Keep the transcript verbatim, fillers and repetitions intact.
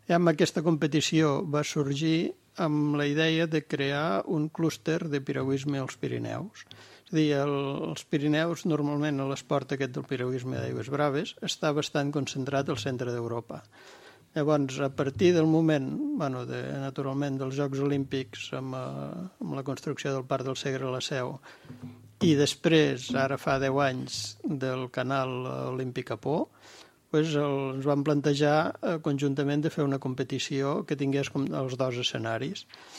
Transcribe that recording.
I amb aquesta competició va sorgir amb la idea de crear un clúster de piragüisme als Pirineus. És a dir, el, els Pirineus, normalment l'esport aquest del piragüisme d'aigües braves, està bastant concentrat al centre d'Europa. Llavors, a partir del moment, bueno, de, naturalment, dels Jocs Olímpics amb, eh, amb la construcció del Parc del Segre a la Seu, i després, ara fa deu anys, del canal Olímpic a Pau, pues el, ens vam plantejar eh, conjuntament de fer una competició que tingués com els dos escenaris.